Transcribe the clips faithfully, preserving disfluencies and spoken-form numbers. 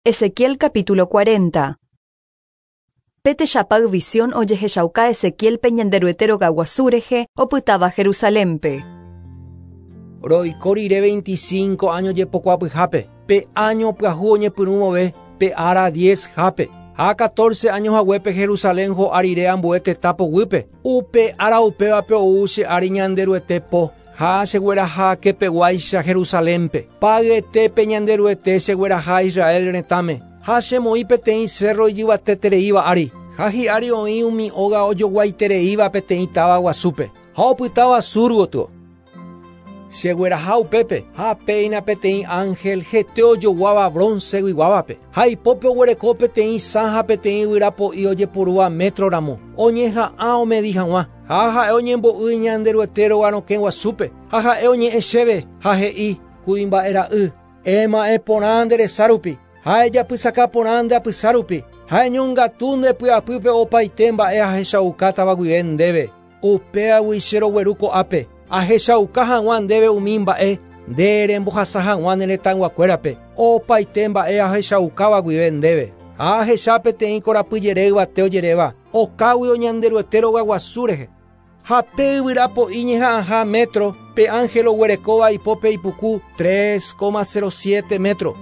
Ezequiel capítulo cuarenta. Pe techapay visión ojehechauka Ezequielpe Ñanderuete rogaguasu rehe opytáva Jerusalénpe. Roiko rire veinticinco años jepokuapyhápe, pe año pyahu oñepyrũvove, pe ára diez hápe. Ha catorce años haguépe Jerusalén ho'a rire ambue tetã poguýpe. Upe ára upévape ou che ári Ñanderuete po. Ha chegueraha kepeguáicha Jerusalénpe. Payetépe Ñanderuete chegueraha Israel retãme. Ha chemoĩ peteĩ cerro ijyvatetereíva ári. Ha hi'ári oĩ umi óga ojoguaitereíva peteĩ táva guasúpe. Ha opytáva sur gotyo. Chegueraha upépe, ha péina peteĩ ángel hete ojoguáva bronce guiguávape. Ha ipópe oguereko peteĩ sã ha peteĩ yvyrapo'i ojepurúva metro ramo. Oñeha'ã omedi hag̃ua. Ha ha'e oñembo'y Ñanderuete rogarokẽ guasúpe. Ha ha'e oñe'ẽ chéve, ha he'i kuimba'e ra'y. Ema'ẽ porã nde resa rupi. Ha ejapysaka porã nde apysa rupi. Ha eñongatu nde py'apýpe opaite mba'e ahechaukátava guive ndéve. Upéagui che rogueru ko'ápe. Ahechauka hag̃ua ndéve umi mba'e nde rembohasa hag̃ua ne retãyguakuérape. Opaite mba'e ahechaukáva guive ndéve. Ha ahecha peteĩ korapyjere yvate ojeréva. Okágui Ñanderuete rogaguasu rehe. Ha pe yvyrapo'i ñeha'ãha metro, pe ángel oguerekóva ipópe ipuku tres coma cero siete metro.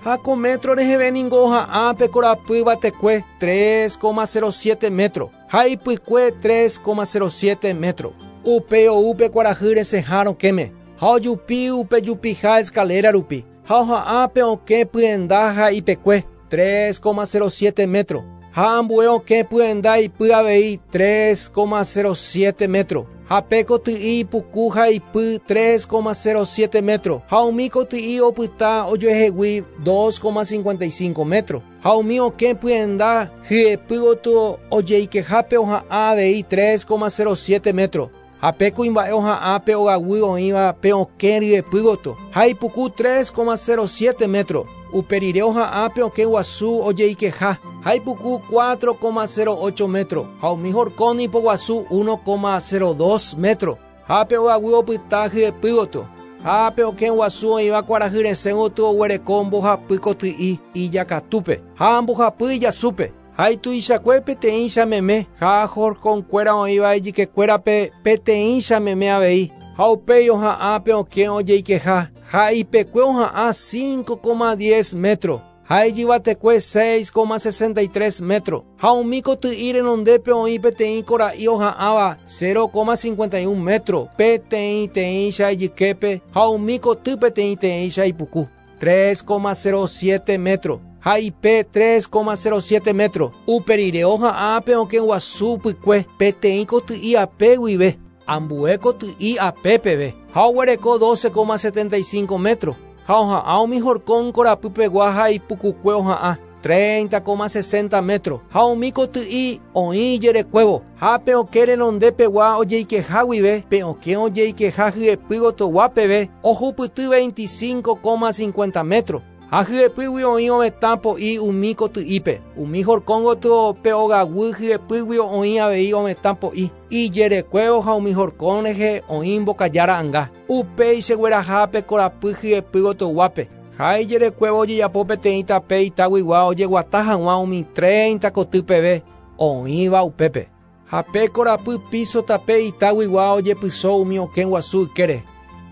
Ha ko metro reheve ningo oha'ã pe korapy yvatekue tres coma cero siete metro. Ha ipykue tres coma cero siete metro. Upe ou pe kuarahy resẽha rokẽme. Ha ojupi upe jupiha escalera rupi. Ha oha'ã pe okẽ pyenda ha ipekue tres coma cero siete metro. Ha ambue okẽ pyenda ipy avei tres coma cero siete metro. Ha pe koty'i ipuku ha ipy tres coma cero siete metro. Ha umi koty'i opyta ojoehegui dos coma cincuenta y cinco metro. Ha umi okẽ pyenda hyepy gotyo ojeikehápe oha'ã avei tres coma cero siete metro. Ha pe kuimba'e oha'ã pe ogaguy oĩva pe okẽ ryepy gotyo. Ha ipuku tres coma cero siete metro. Upe rire oha'ã pe okẽ guasu ojeikeha. Ha ipuku cuatro coma cero ocho metro. Ha umi horkón ipoguasu uno coma cero dos metro. Ha pe ogaguy opyta hyepy gotyo. Ha pe okẽ guasu oĩva kuarahy resẽ gotyo oguereko mbohapy koty'i ijakatúpe. Ha mbohapy ijasúpe. Ha ituichakue peteĩcha meme. Ha horkonkuéra oĩva ijykekuérape peteĩcha meme avei. Ha upéi oha'ã pe okẽ ojeikeha. Ha ipekue oha'ã cinco coma diez metro. Ha ijyvatekue seis coma sesenta y tres metro. Ha umi koty'i renondépe oĩ peteĩ kora'i oha'ãva cero coma cincuenta y un metro. Peteĩteĩcha ijyképe. Ha umi koty peteĩteĩcha ipuku tres coma cero siete metro. Ha ipe tres coma cero siete metro. Upe rire oha'ã pe okẽ guasu pykue peteĩ koty'i ape guive. Ambue koty'i apépeve. Ha oguereko doce coma setenta y cinco metro. Ha oha'ã umi horkón korapypegua ha ipukukue oha'ã treinta coma sesenta metro. Ha umi koty'i oĩ ijerekuévo. Ha pe okẽ renondépegua ojeikeha guive, pe okẽ ojeikeha hyepy gotyoguápeve ohupyty veinticinco coma cincuenta metro. Ha hyepýgui oĩ ovetã po'i umi koty'ípe. Umi horkón gotyo pe ogaguy hyepýgui oĩ avei ovetã po'i. Ijerekuévo ha umi horkón rehe oĩ mbokaja ra'ãnga. Upéi chegueraha pe korapy hyepy gotyoguápe. Ha ijerekuévo ojejapo peteĩ tape itaguigua ojeguata hag̃ua umi treinta koty peve oĩva upépe. Ha pe korapy piso tape itaguigua ojepyso umi okẽ guasu ykére.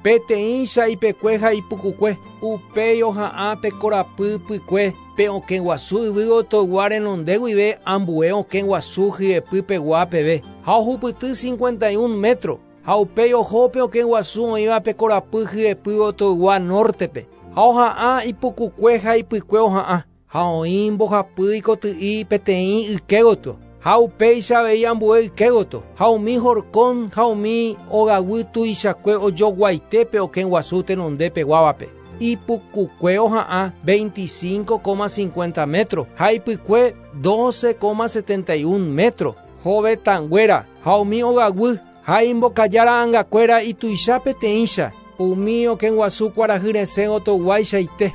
Peteĩcha ipekue ha ipukukue. Upéi oha'ã pe korapy pykue pe okẽ guasu yvy gotyogua renonde guive ambue okẽ guasu hyepypegua peve. Ha ohupyty cincuenta y un metro. Ha upéi oho pe okẽ guasu oĩva pe korapy hyepy gotyogua nortepe. Ha oha'ã ipukukue ha ipykue oha'ã. Ha oĩ mbohapy ikoty'i peteĩ yke gotyo. Ha upéicha avei ambue yke gotyo. Ha umi horkón ha umi ogaguy tuichakue ojoguaite okẽ guasu tenondepeguávape. Ipukukue oha'ã veinticinco coma cincuenta metro. Ha ipykue doce coma setenta y un metro. Hovetãnguéra ha umi ogaguy ha imbokaja ra'ãngakuéra ituicha peteĩcha. Umi okẽ guasu kuarahy resẽ gotyoguaichaite.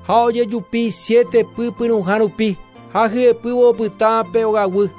Ha ojejupi siete pypyrũha rupi. Ha hyepývo opyta pe ogaguy.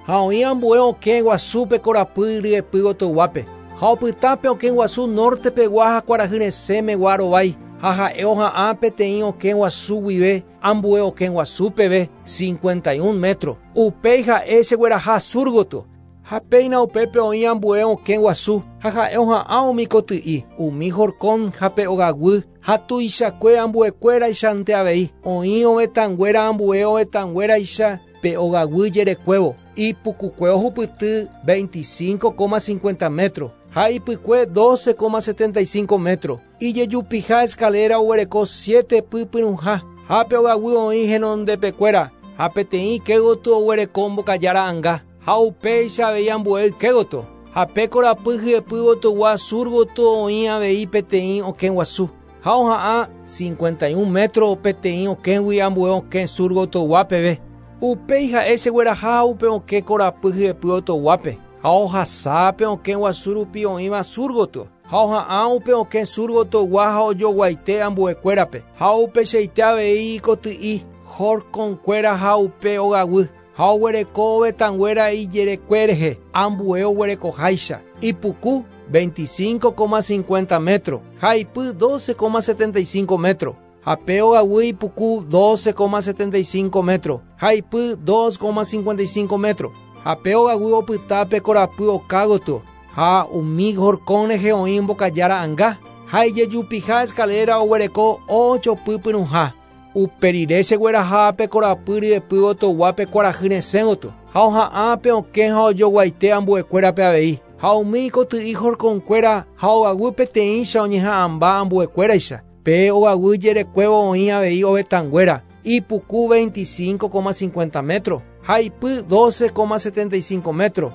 Ha oĩ ambue okẽ guasúpe korapy ryepy gotyoguápe. Ha opyta pe okẽ guasu nortepegua ha kuarahy resẽmegua rovái. Ha ha'e oha'ã peteĩ okẽ guasu guive ambue okẽ guasu peve cincuenta y un metro. Upéi ha'e chegueraha sur gotyo. Ha péina upépe oĩ ambue okẽ guasu ha ha'e oha'ã umi koty'i, umi horkon ha pe ogaguy ha tuichakue ambuekuéraichante avei. Oĩ ovetãnguéra ambue ovetãnguéraicha pe ogaguy jerekuévo. Ipukukue ohupyty veinticinco coma cincuenta metro. Ha ipykue doce coma setenta y cinco metro. Ijejupiha escalera oguereko siete pypyrũha. Ha pe ogaguy oĩ henondepekuéra. Ha peteĩ kégotyo oguereko mbokaja ra'ãnga. Ha upéicha avei ambue ykégotyo. Ha pe korapy hyepýgotygua sur gotyo oĩ avei peteĩ okẽ guasu. Ha oha'ã cincuenta y un metro peteĩ okẽgui ambue okẽ sur gotyogua peve. Upéi ha'e chegueraha upe okẽ korapy hyepýgotyuguápe. Ha ohasa pe okẽ guasu rupi oĩva sur gotyo. Ha oha'ã upe okẽ sur gotyogua ha ojoguaite ambuekuérape. Ha upecheite avei koty'i horkonkuéra ha upe ogaguy. Ha oguereko ovetãnguéra ijerekue rehe ambue oguerekoháicha. Ipuku veinticinco coma cincuenta metro. Ha ipy doce coma setenta y cinco metro. Ha pe ogaguy ipuku doce coma setenta y cinco metro. Ha ipy dos coma cincuenta y cinco metro. Ha pe ogaguy opyta pe korapy okágotyo. Ha umi horkon rehe oĩ mbokaja ra'ãnga. Ha ijejupiha escalera oguereko ocho pypyrũha. Upe rire chegueraha pe korapy ryepýgotyoguápe kuarahy resẽgotyo. Ha oha'ã pe okẽ ha ojoguaite ambuekuérape avei. Ha umi koty'i horkonkuéra ha ogaguy peteĩcha oñeha'ãmba ambuekuéraicha. Pe ogaguy jerekuévo oĩ avei ovetãnguéra. Ipuku veinticinco coma cincuenta metro. Ha ipy doce coma setenta y cinco metro.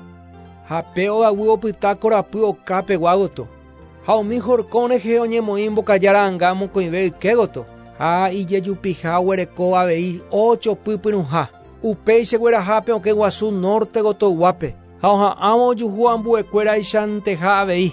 Ha pe ogaguy opyta korapy okápeguágotyo. Ha umi horkon rehe oñemoĩ mbokaja ra'ãnga mokõive ykégotyo. Ha ijejupiha oguereko avei ocho pypyrũha. Upéi chegueraha pe okẽ guasu norte gotyoguápe. Ha oha'ãvo ojuhu ambuekuéraichánteha avei.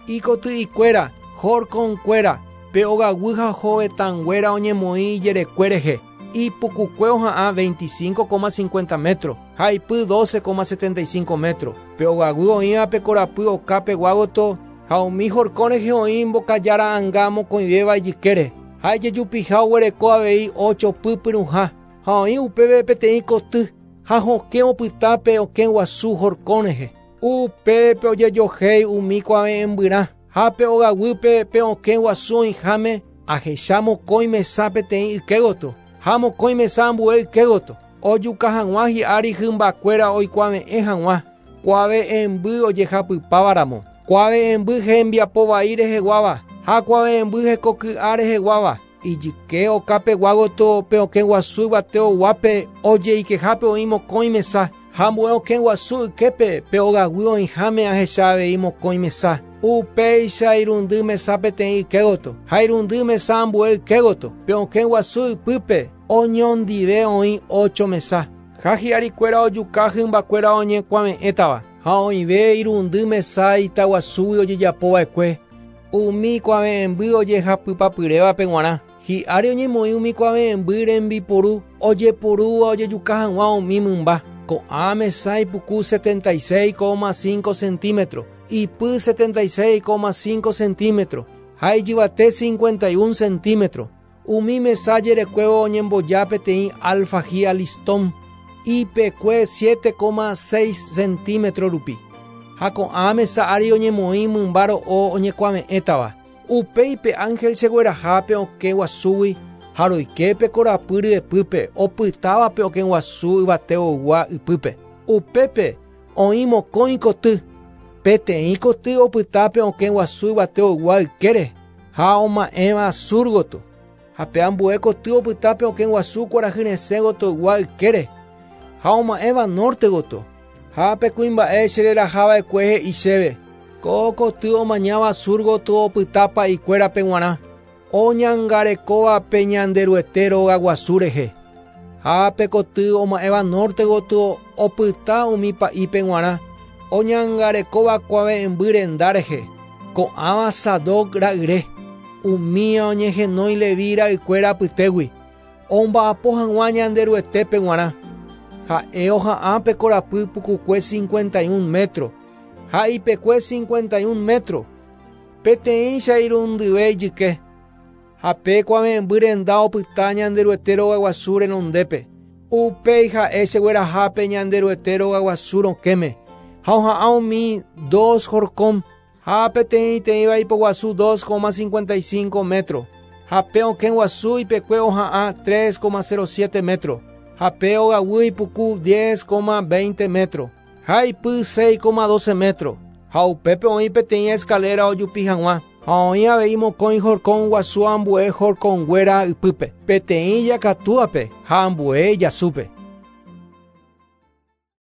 Ikoty'ikuéra, horkonkuéra, pe ogaguy ha hovetãnguéra oñemoĩ ijerekue rehe. Ipukukue oha'ã veinticinco coma cincuenta metro. Ha ipy doce coma setenta y cinco metro. Pe ogaguy oĩva pe korapy okápeguágotyo ha umi horkon rehe oĩ mbokaja ra'ãnga mokõivéva ijykére. Ha ijejupiha oguereko avei ocho pypyrũha. Ha oĩ upépe peteĩ koty. Ha hokẽ opyta pe okẽ guasu horkon rehe. Upépe ojejohéi umi kuave'ẽmbyrã. Ha pe ogaguýpe pe okẽ guasu oĩháme ahecha mokõi mesa peteĩ ykégotyo. Ha mokõi mesa ambue ykégotyo. Ojuka hag̃ua hi'ári hymbakuéra oikuave'ẽ hag̃ua. Kuave'ẽmby ojehapypávaramo. Kuave'ẽmby hembiapo vai reheguáva. Ha kuave'ẽmby hekoky'a reheguáva. Ijyke okápeguágotyo pe okẽ guasu yvateoguápe ojeikehápe oĩ mokõi mesa. Ha ambue okẽ guasu yképe pe ogaguy oĩháme ahecha avei mokõi mesa. Upéicha irundy mesa peteĩ ykégotyo. Ha irundy mesa ambue ykégotyo. Pe okẽ guasu ypýpe oñondive oĩ ocho mesa. Ha hi'arikuéra ojuka hymbakuéra oñekuave'ẽtava. Ha oĩve irundy mesa itaguasúgui ojejapova'ekue. Umi kuave'ẽmby ojehapypapyrévape g̃uarã. Hi'ári oñemoĩ umi kuave'ẽmby rembiporu ojeporúva ojejuka hag̃ua umi mymba. Ko'ã mesa ipuku setenta y seis coma cinco centímetro, ipy setenta y seis coma cinco centímetro, ha ijyvate cincuenta y un centímetro. Umi mesa jerekuévo oñemboja peteĩ alfajía listón, ipekue siete coma seis centímetro rupi. Ha ko'ã mesa ári oñemoĩ mymba ro'o oñekuave'ẽtava. Upéi pe ángel chegueraha pe okẽ guasúgui ha roike pe korapy ryepýpe opytáva pe okẽ guasu yvateogua ypýpe. Upépe oĩ mokõi koty. Peteĩ koty opyta pe okẽ guasu yvateogua ykére ha oma'ẽva sur gotyo. Ha pe ambue koty opyta pe okẽ guasu kuarahy resẽ gotyogua ykére ha oma'ẽva norte gotyo. Ha pe kuimba'e chererahava'ekue he'i chéve. Ko koty omañáva sur gotyo opyta pa'ikuérape g̃uarã. Oñangarekóva pe Ñanderuete rogaguasu rehe. Ha pe koty oma'ẽva norte gotyo opyta umi pa'ípe g̃uarã. Oñangarekóva kuave'ẽmby renda rehe. Ko'ãva Sadoc ra'yre. Umía oñehenói Levi ra'ykuéra apytégui. Omba'apo hag̃ua Ñanderuetépe g̃uarã. Ha'e oha'ã pe korapy pukukue cincuenta y un metro. Ha ipekue cincuenta y un metro. Peteĩcha irundyve ijyke. Ha pe kuave'ẽmby renda opyta Ñanderuete rogaguasu renondépe. Upéi ha'e cheguerahápe Ñanderuete rogaguasu rokẽme. Ha oha'ã umi dos horkon ha peteĩteĩva ipoguasu dos coma cincuenta y cinco metro. Ha pe okẽ guasu ipekue oha'ã tres coma cero siete metro. Ha pe ogaguy ipuku diez coma veinte metro. Ha ipy seis coma doce metro. Ha upépe oĩ peteĩ escalera ojupi hag̃ua. Ha oĩ avei mokõi horkon guasu ambue horkonguéra ypýpe. Peteĩ ijakatúape ha ambue ijasúpe.